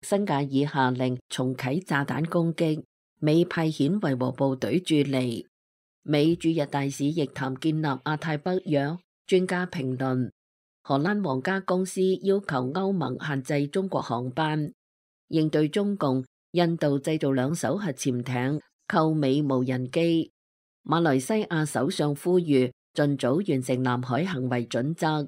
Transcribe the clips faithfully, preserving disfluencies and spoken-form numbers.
辛瓦爾下令重啟炸彈攻擊，美派遣維和部隊駐離。美駐日大使亦談建立亞太北約。專家評論，荷蘭皇家公司要求歐盟限制中國航班，應對中共。印度製造兩艘核潛艇，購美無人機。馬來西亞首相呼籲盡早完成南海行為準則。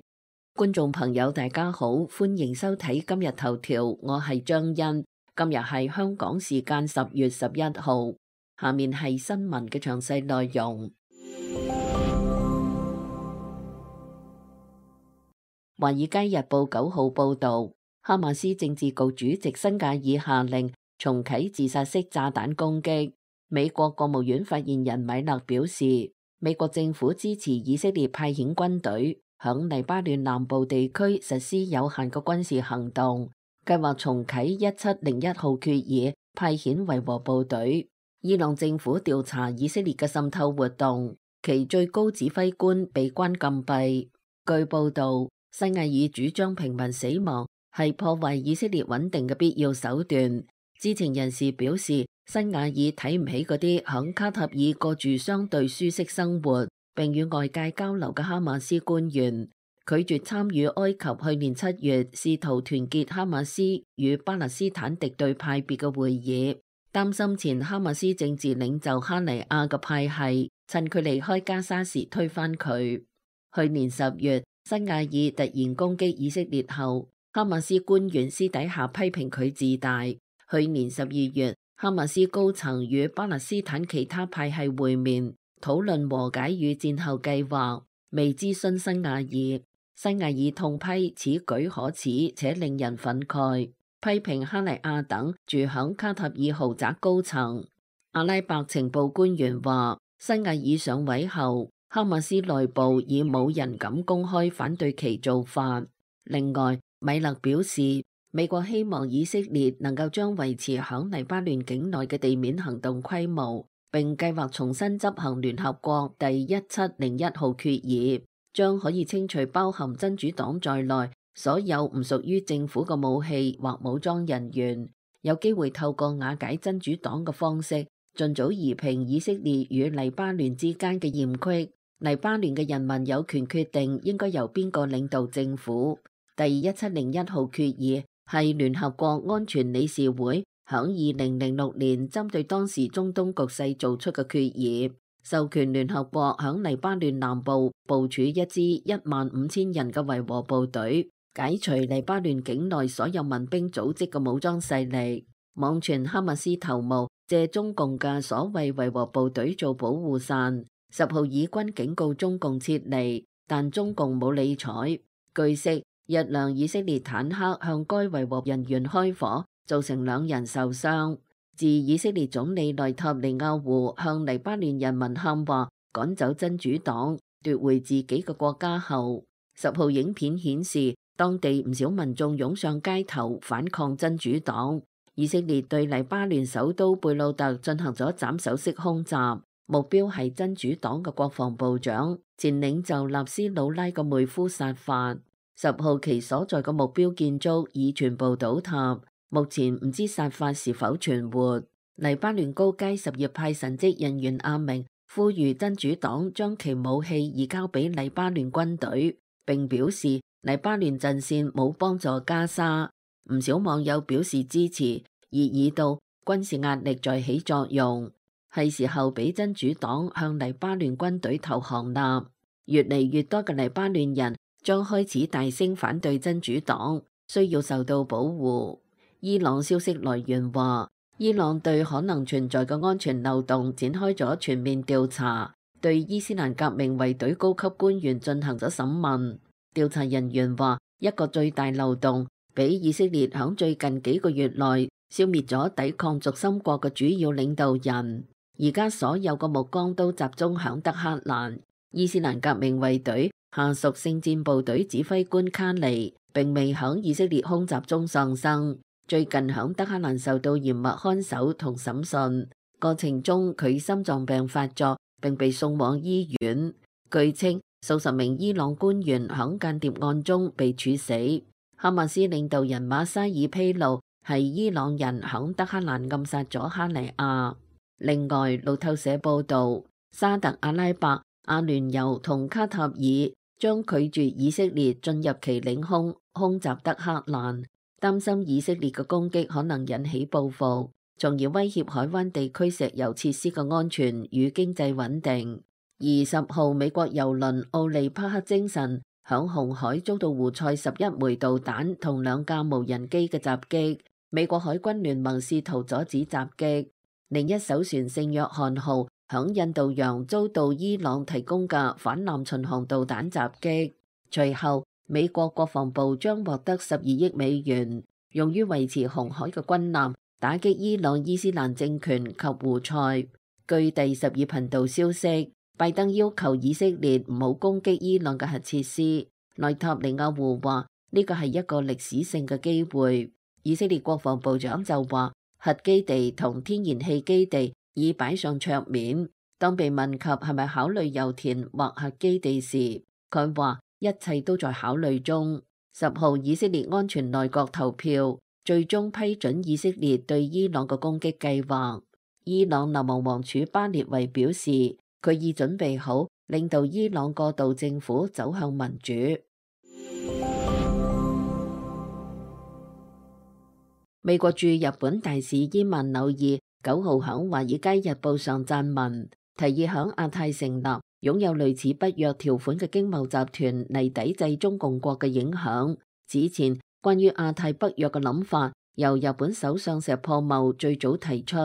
觀眾朋友大家好，歡迎收睇今日頭條，我係張欣。今日係香港時間十月十一號，下面係新聞嘅詳細內容。華爾街日報九號報道，哈馬斯政治局主席辛瓦爾下令重啟自殺式炸彈攻擊。美國國務院發言人米勒表示，美國政府支持以色列派遣軍隊響黎巴嫩南部地區實施有限嘅軍事行動，計劃重啟一七零一號決議，派遣維和部隊。伊朗政府調查以色列嘅滲透活動，其最高指揮官被關禁閉。據報道，辛瓦爾主張平民死亡係破壞以色列穩定嘅必要手段。知情人士表示，辛瓦爾睇唔起嗰啲響卡塔爾過住相對舒適生活並與外界交流嘅哈馬斯官員，拒絕參與埃及去年七月試圖團結哈馬斯與巴勒斯坦敵對派別嘅會議，擔心前哈馬斯政治領袖哈尼亞嘅派系趁佢離開加沙時推翻佢。去年十月，辛瓦爾突然攻擊以色列後，哈馬斯官員私底下批評佢自大。去年十二月，哈馬斯高層與巴勒斯坦其他派系會面，討論和解與戰後計劃，未諮詢辛瓦爾。辛瓦爾痛批此舉可恥且令人憤慨，批評哈尼亞等住響卡塔爾豪宅高層。阿拉伯情報官員話，辛瓦爾上位後，哈馬斯內部已冇人敢公開反對其做法。另外，米勒表示，美國希望以色列能夠將維持響黎巴嫩境內嘅地面行動規模，並計劃重新執行聯合國第一七零一號決議，將可以清除包含真主黨在內所有唔屬於政府嘅武器或武裝人員，有機會透過瓦解真主黨嘅方式，盡早夷平以色列與黎巴嫩之間嘅嫌隙。黎巴嫩嘅人民有權決定應該由邊個領導政府。第一七零一號決議係聯合國安全理事會響二零零六年針對當時中東局勢做出嘅決議，授權聯合國響黎巴嫩南部部署一支一萬五千人嘅維和部隊，解除黎巴嫩境內所有民兵組織嘅武裝勢力。網傳哈馬斯頭目借中共嘅所謂維和部隊做保護傘，十號以軍警告中共撤離，但中共冇理睬。據悉，一輛以色列坦克向該維和人員開火，造成兩人受傷。自以色列總理內塔尼亞胡向黎巴嫩人民喊話趕走真主黨，奪回自己嘅國家後，十號影片顯示當地唔少民眾湧上街頭反抗真主黨。以色列對黎巴嫩首都貝魯特進行咗斬首式空襲，目標係真主黨嘅國防部長前領袖納斯魯拉嘅妹夫薩法。十號其所在嘅目標建築已全部倒塌，目前唔知薩法是否存活。黎巴嫩高階什葉派神職人員阿明呼籲真主黨將其武器移交俾黎巴嫩軍隊，並表示黎巴嫩陣線冇幫助加沙。唔少網友表示支持，熱議到軍事壓力在起作用，係時候俾真主黨向黎巴嫩軍隊投降啦。越嚟越多嘅黎巴嫩人將開始大聲反對真主黨，需要受到保護。伊朗消息來源話，伊朗對可能存在嘅安全漏洞展開咗全面調查，對伊斯蘭革命衛隊高級官員進行咗審問。調查人員話，一個最大漏洞俾以色列響最近幾個月內消滅咗抵抗軸心國嘅主要領導人，而家所有嘅目光都集中響德黑蘭。伊斯蘭革命衛隊下屬聖戰部隊指揮官卡尼並未響以色列空襲中喪生，最近響德黑蘭受到嚴密看守同審訊，過程中佢心臟病發作並被送往醫院。據稱，數十名伊朗官員響間諜案中被處死。哈馬斯領導人馬沙爾披露，係伊朗人響德黑蘭暗殺咗哈尼亞。另外，路透社報導，沙特阿拉伯、阿聯酋同卡塔爾將拒絕以色列進入其領空空襲德黑蘭，擔心以色列嘅攻擊可能引起報復，從而威脅海灣地區石油設施嘅安全與經濟穩定。二十號，美國郵輪奧利帕克精神響紅海遭到胡塞十一枚導彈同兩架無人機嘅襲擊，美國海軍聯盟試圖阻止襲擊。另一艘船聖約翰號響印度洋遭到伊朗提供嘅反艦巡航導彈襲擊。隨後，美國國防部將獲得十二億美元，用於維持紅海嘅軍艦，打擊伊朗伊斯蘭政權及胡塞。據第十二頻道消息，拜登要求以色列唔好攻擊伊朗嘅核設施。內塔尼亞胡話呢個係一個歷史性嘅機會。以色列國防部長就話核基地同天然氣基地已擺上桌面。當被問及係咪考慮油田或核基地時，佢話一切都在考慮中。十號，以色列安全內閣投票，最終批准以色列對伊朗嘅攻擊計劃。伊朗流亡王儲巴列維表示，佢已準備好領導伊朗過渡政府走向民主。美國駐日本大使伊曼紐爾九號響《華爾街日報》上撰文，提議響亞太成立擁有類似北約條款嘅經貿集團嚟抵制中共國嘅影響。此前關於亞太北約嘅諗法，由日本首相石破茂最早提出，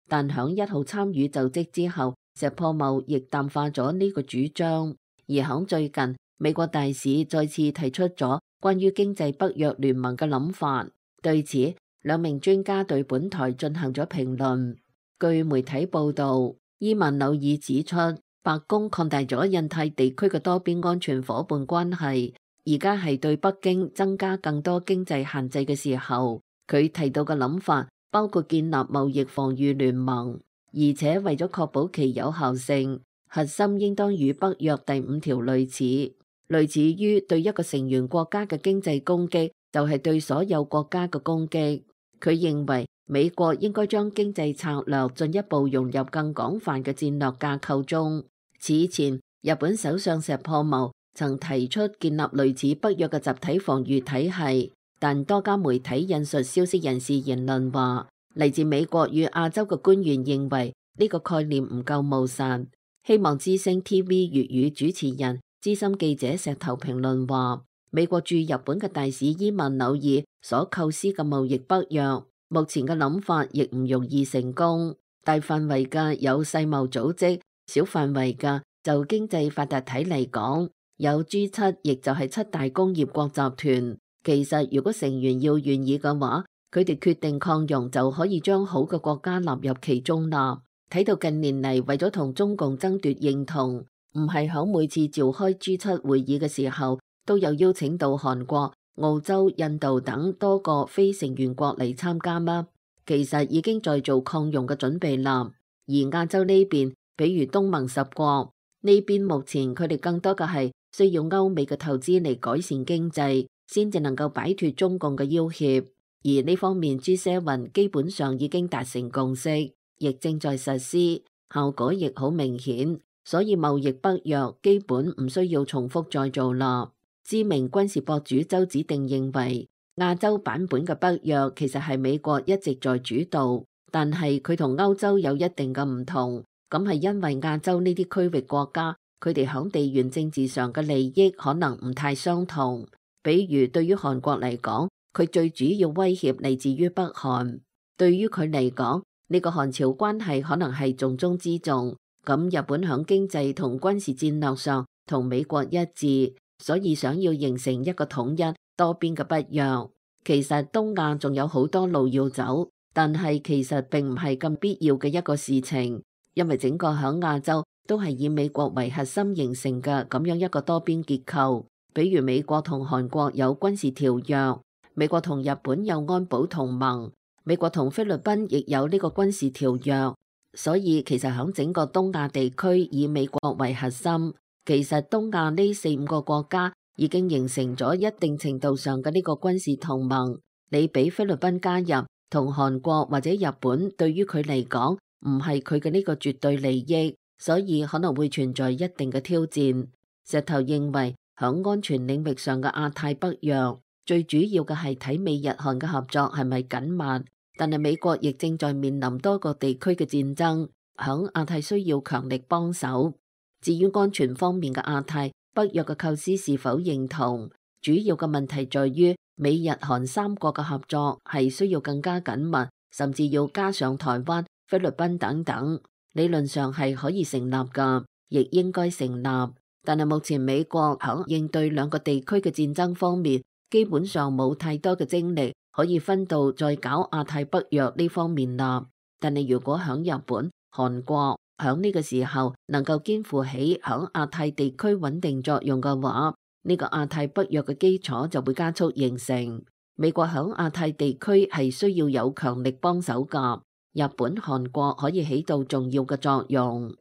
但響一號參與就職之後，石破茂亦淡化咗呢個主張。而響最近，美國大使再次提出咗關於經濟北約聯盟嘅諗法。對此，兩名專家對本台進行咗評論。據媒體報導，伊曼紐爾指出，白宮擴大咗印太地區嘅多邊安全夥伴關係，而家係對北京增加更多經濟限制嘅時候。佢提到嘅諗法包括建立貿易防禦聯盟，而且為咗確保其有效性，核心應當與北約第五條類似，類似於對一個成員國家嘅經濟攻擊，就係對所有國家嘅攻擊。佢認為美國應該將經濟策略進一步融入更廣泛嘅戰略架構中。此前，日本首相石破茂曾提出建立類似北約嘅集體防禦體系，但多家媒體引述消息人士言論話，嚟自美國與亞洲嘅官員認為呢個概念唔夠務實。希望之聲 T V 粵語主持人資深記者石頭評論話，美國駐日本嘅大使伊曼紐爾所構思嘅貿易北約，目前嘅諗法亦唔容易成功。大範圍嘅有世貿組織，小範圍嘅就經濟發達體嚟講，有 G 七，亦就係七大工業國集團。其實如果成員要願意嘅話，佢哋決定擴容就可以將好嘅國家納入其中啦。睇到近年嚟為咗同中共爭奪認同，唔係響每次召開 G 七會議嘅時候，都有邀請到韓國、澳洲、印度等多個非成員國嚟參加嗎？其實已經在做擴容嘅準備啦。而亞洲呢邊，比如東盟十國呢邊，目前佢哋更多嘅係需要歐美嘅投資嚟改善經濟，先至能夠擺脫中共嘅要挾。而呢方面 G 七 基本上已經達成共識，亦正在實施，效果亦好明顯。所以貿易北約基本唔需要重複再做啦。知名軍事博主周子定認為，亞洲版本嘅北約其實係美國一直在主導，但係佢同歐洲有一定嘅唔同。咁係因為亞洲呢啲區域國家，佢哋響地緣政治上嘅利益可能唔太相同。比如對於韓國嚟講，佢最主要威脅嚟自於北韓。對於佢嚟講，呢個韓朝關係可能係重中之重。咁日本響經濟同軍事戰略上同美國一致，所以想要形成一個統一多邊嘅北約。其實東亞仲有好多路要走，但係其實並唔係咁必要嘅一個事情，因為整個響亞洲都係以美國為核心形成嘅咁樣一個多邊結構。比如美國同韓國有軍事條約，美國同日本有安保同盟，美國同菲律賓亦有呢個軍事條約。所以其實喺整個東亞地區以美國為核心，其實東亞呢四五個國家已經形成咗一定程度上嘅呢個軍事同盟。你俾菲律賓加入，同韓國或者日本對於佢嚟講唔係佢嘅呢個絕對利益，所以可能會存在一定嘅挑戰。石頭認為響安全領域上嘅亞太北約最主要嘅係睇美日韓嘅合作係咪緊密，但係美國亦正在面臨多個地區嘅戰爭，響亞太需要強力幫手。至於安全方面嘅亞太北約嘅構思是否認同，主要嘅問題在於美日韓三國嘅合作係需要更加緊密，甚至要加上台灣、菲律賓等等。理論上係可以成立㗎，亦應該成立。但係目前美國喺應對兩個地區嘅戰爭方面，基本上冇太多嘅精力可以分到再搞亞太北約呢方面啦。但係如果喺日本、韓國喺呢個時候能夠肩負起喺亞太地區穩定作用嘅話，呢個亞太北約嘅基礎就會加速形成。美國喺亞太地區係需要有強力幫手㗎，日本、韓國可以起到重要嘅作用。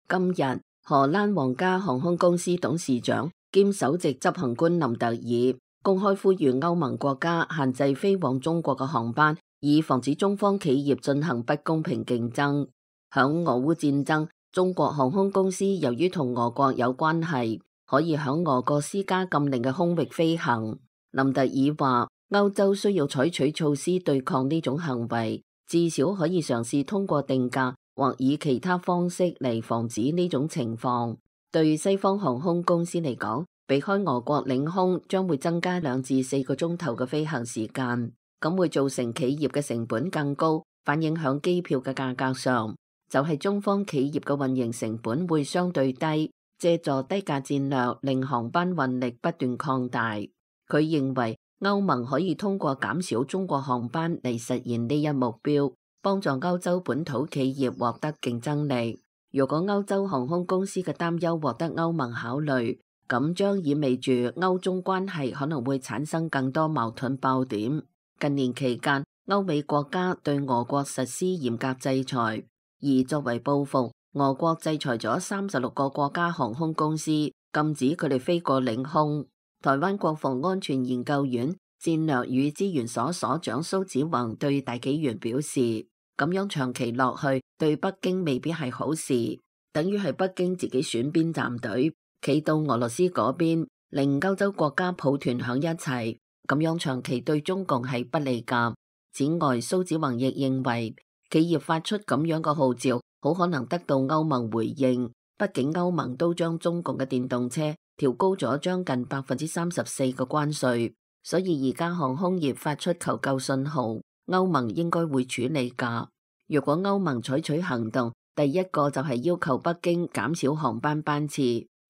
今日荷蘭皇家航空公司董事長兼首席執行官林特爾公開呼籲歐盟國家限制飛往中國嘅航班，以防止中方企業進行不公平競爭。響俄烏戰爭，中國航空公司由於同俄國有關係，可以響俄國施加禁令嘅空域飛行。林特爾話，歐洲需要採取措施對抗呢種行為，至少可以嘗試通過定價或以其他方式嚟防止呢種情況。對西方航空公司嚟講，避開俄國領空將會增加兩至四個鐘頭嘅飛行時間，咁會造成企業嘅成本更高，反映響機票嘅價格上。就係中方企業嘅運營成本會相對低，借助低價戰略令航班運力不斷擴大。佢認為歐盟可以通過減少中國航班嚟實現呢一目標，幫助歐洲本土企業獲得競爭力。如果歐洲航空公司嘅擔憂獲得歐盟考慮，咁將意味住歐中關係可能會產生更多矛盾爆點。近年期間，歐美國家對俄國實施嚴格制裁，而作為報復，俄國制裁咗三十六個國家航空公司，禁止佢哋飛過領空。台灣國防安全研究院戰略與資源所所長蘇子宏對大紀元表示，咁樣長期落去對北京未必係好事，等於係北京自己選邊站隊，企到俄羅斯嗰邊，令歐洲國家抱團響一齊，咁樣長期對中共係不利噶。此外，蘇子宏亦認為，企業發出咁樣嘅號召，好可能得到歐盟回應。畢竟歐盟都將中共嘅電動車調高咗將近百分之三十四嘅關稅，所以而家航空業發出求救信號，歐盟應該會處理噶。如果歐盟採取行動，第一個就係要求北京減少航班班次，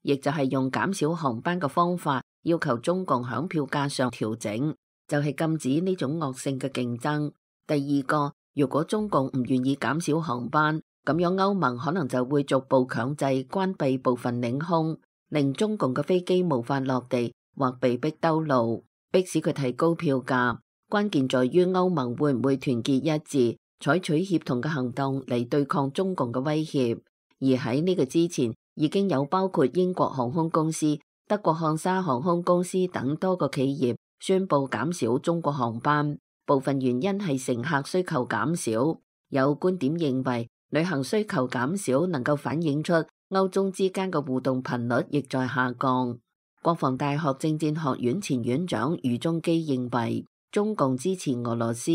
亦就係用減少航班嘅方法要求中共響票價上調整，就係禁止呢種惡性嘅競爭。第二個，如果中共唔願意減少航班，咁樣歐盟可能就會逐步強制關閉部分領空，令中共嘅飛機無法落地或被逼兜路，迫使佢提高票價。關鍵在於歐盟會唔會團結一致，採取協同嘅行動嚟對抗中共嘅威脅。而喺呢個之前，已經有包括英國航空公司、德國漢莎航空公司等多個企業宣布減少中國航班，部分原因係乘客需求減少。有觀點認為，旅行需求減少能夠反映出歐中之間嘅互動頻率亦在下降。國防大學政戰學院前院長余中基認為，中共支持俄羅斯，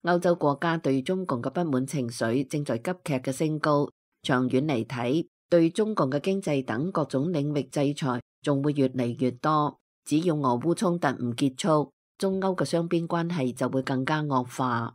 歐洲國家對中共嘅不滿情緒正在急劇嘅升高。長遠嚟睇，對中共嘅經濟等各種領域制裁仲會越嚟越多。只要俄烏衝突唔結束，中歐嘅雙邊關係就會更加惡化。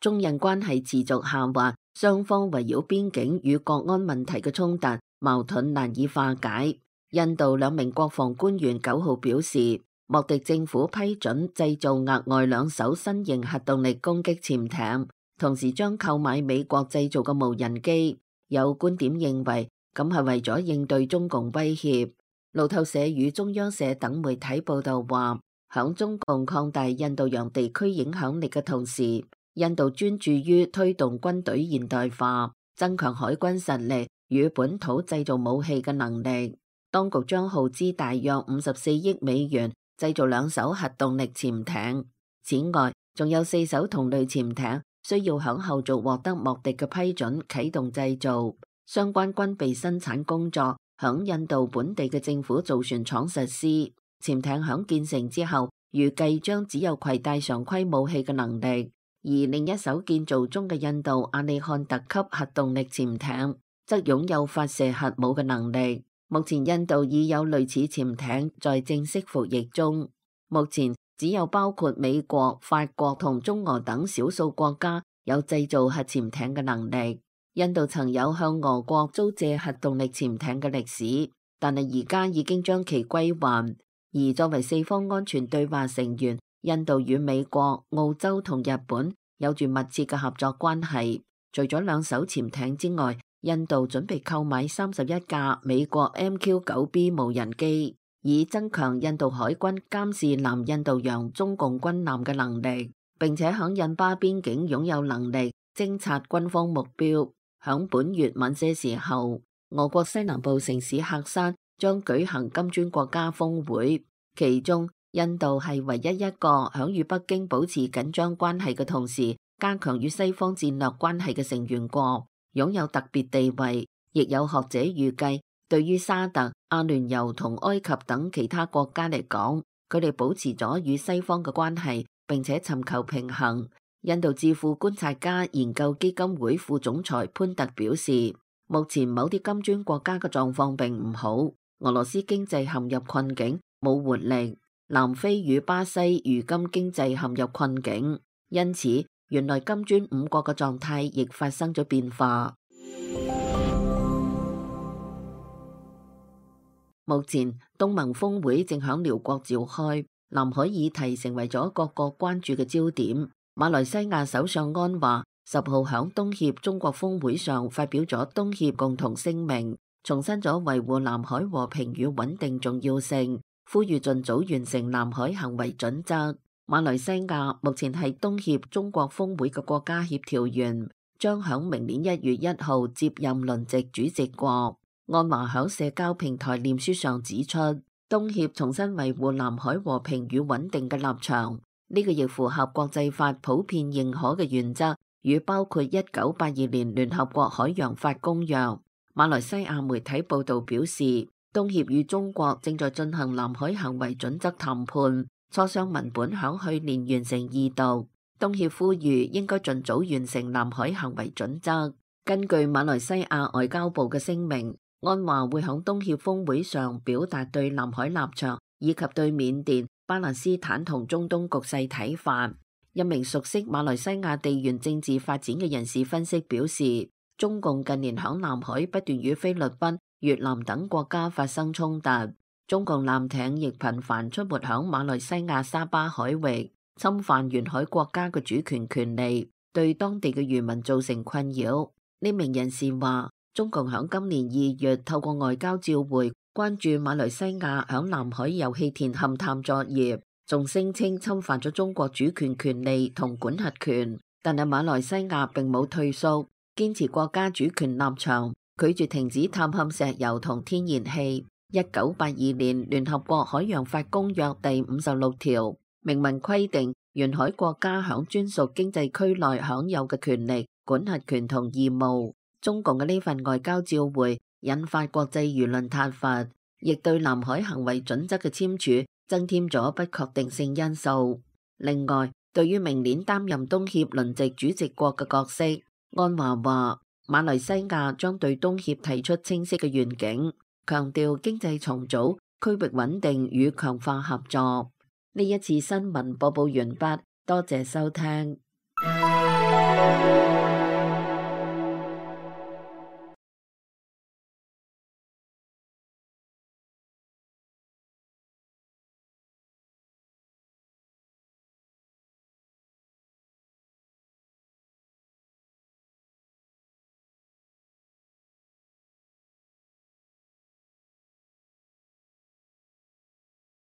中印關係持續下滑，雙方圍繞邊境與國安問題嘅衝突矛盾難以化解。印度兩名國防官員九號表示，莫迪政府批准製造額外兩艘新型核動力攻擊潛艇，同時將購買美國製造嘅無人機。有觀點認為，咁係為咗應對中共威脅。路透社與中央社等媒體報道話，響中共擴大印度洋地區影響力嘅同時，印度專注於推動軍隊現代化，增強海軍實力，與本土製造武器嘅能力。當局將耗資大約五十四億美元製造兩艘核動力潛艇。此外，仲有四艘同類潛艇需要響後續獲得莫迪嘅批准啟動製造。相關軍備生產工作響印度本地嘅政府造船廠實施。潛艇響建成之後，預計將只有攜帶常規武器嘅能力。而另一艘建造中嘅印度阿利漢特級核動力潛艇則擁有發射核武嘅能力。目前印度已有類似潛艇在正式服役中。目前只有包括美國、法國同中俄等少數國家有製造核潛艇嘅能力。印度曾有向俄國租借核動力潛艇嘅歷史，但係而家已經將其歸還。而作為四方安全對話成員，印度與美國、澳洲同日本有住密切嘅合作關係。除咗兩艘潛艇之外，印度準備購買三十一架美國 M Q 九 B 無人機，以增強印度海軍監視南印度洋中共軍艦嘅能力，並且響印巴邊境擁有能力偵察軍方目標。響本月晚些時候，俄國西南部城市喀山將舉行金磚國家峰會，其中印度係唯一一個響與北京保持緊張關係嘅同時加強與西方戰略關係嘅成員國，擁有特別地位。亦有學者預計，對於沙特、阿聯酋同埃及等其他國家嚟講，佢哋保持咗與西方嘅關係，並且尋求平衡。印度智庫觀察家研究基金會副總裁潘特表示，目前某啲金磚國家嘅狀況並唔好，俄羅斯經濟陷入困境，冇活力。南非與巴西如今經濟陷入困境，因此原來金磚五國嘅狀態亦發生咗變化。目前東盟峰會正響寮國召開，南海議題成為咗各國關注嘅焦點。馬來西亞首相安華十號響東協中國峰會上發表咗東協共同聲明，重申咗維護南海和平與穩定重要性，呼籲盡早完成南海行為準則。馬來西亞目前係東協中國峰會嘅國家協調員，將響明年一月一號接任輪值主席國。安華響社交平台臉書上指出，東協重新維護南海和平與穩定嘅立場，呢個亦符合國際法普遍認可嘅原則，與包括一九八二年聯合國海洋法公約。馬來西亞媒體報道表示，東協與中國正在進行南海行為準則談判，磋商文本響去年完成二讀。東協呼籲應該盡早完成南海行為準則。根據馬來西亞外交部嘅聲明，安華會響東協峰會上表達對南海立場，以及對緬甸、巴勒斯坦同中東局勢睇法。一名熟悉馬來西亞地緣政治發展嘅人士分析表示，中共近年響南海不斷與菲律賓、越南等國家發生衝突，中共艦艇亦頻繁出沒響馬來西亞沙巴海域，侵犯沿海國家嘅主權權利，對當地嘅漁民造成困擾。呢名人士話，中共響今年二月透過外交照會關注馬來西亞響南海油氣田勘探作業，仲聲稱侵犯咗中國主權權利同管轄權，但係馬來西亞並冇退縮，堅持國家主權立場，拒絕停止探勘石油同天然氣。一九八二年聯合國海洋法公約第五十六條明文規定，沿海國家響專屬經濟區內享有嘅權利、管轄權同義務。中共嘅呢份外交照會引發國際輿論撻伐，亦對南海行為準則嘅簽署增添咗不確定性因素。另外，對於明年擔任東協輪值主席國嘅角色，安華話馬來西亞將對東協提出清晰嘅願景，強調經濟重組、區域穩定與強化合作。呢一次新聞播報完畢，多謝收聽。